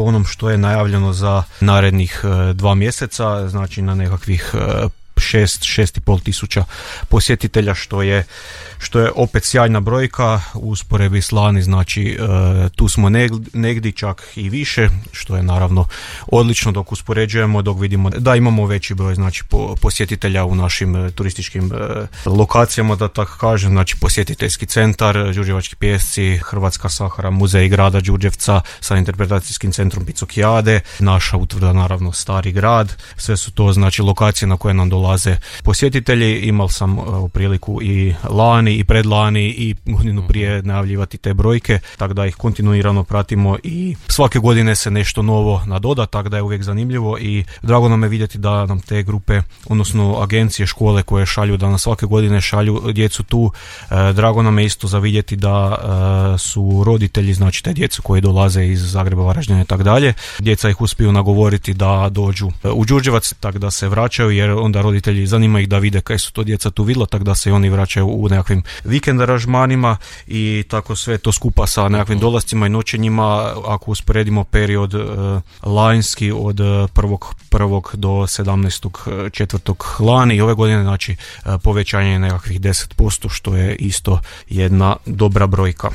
po onom što je najavljeno za narednih 2 mjeseca, znači na nekakvih 6,5 tisuća posjetitelja, što je opet sjajna brojka u usporedbi s lani, znači tu smo negdje čak i više, što je naravno odlično dok uspoređujemo, dok vidimo da imamo veći broj znači posjetitelja u našim turističkim lokacijama, da tako kažem, znači posjetiteljski centar, Đurđevački pijesci, Hrvatska Sahara, muzej grada Đurđevca sa interpretacijskim centrom Picokijade, naša utvrda naravno Stari grad, sve su to znači lokacije na koje nam dolaze posjetitelji. Imao sam priliku i lani i predlani i godinu prije najavljivati te brojke, tako da ih kontinuirano pratimo i svake godine se nešto novo nadoda, tako da je uvijek zanimljivo i drago nam je vidjeti da nam te grupe, odnosno agencije, škole koje šalju, da nam svake godine šalju djecu tu. Drago nam je isto za vidjeti da su roditelji, znači te djecu koji dolaze iz Zagreba, Varaždina i tako dalje, djeca ih uspiju nagovoriti da dođu u Đurđevac, tako da se vraćaju, jer onda roditelji zanima ih da vide kaj su to djeca tu vidjela, tako da se i oni vraćaju u nekakvim vikend aranžmanima i tako sve to skupa sa nekakvim dolascima i noćenjima. Ako usporedimo period lanjski od 1.1. do 17.4. lani i ove godine, znači povećanje je nekakvih 10%, što je isto jedna dobra brojka.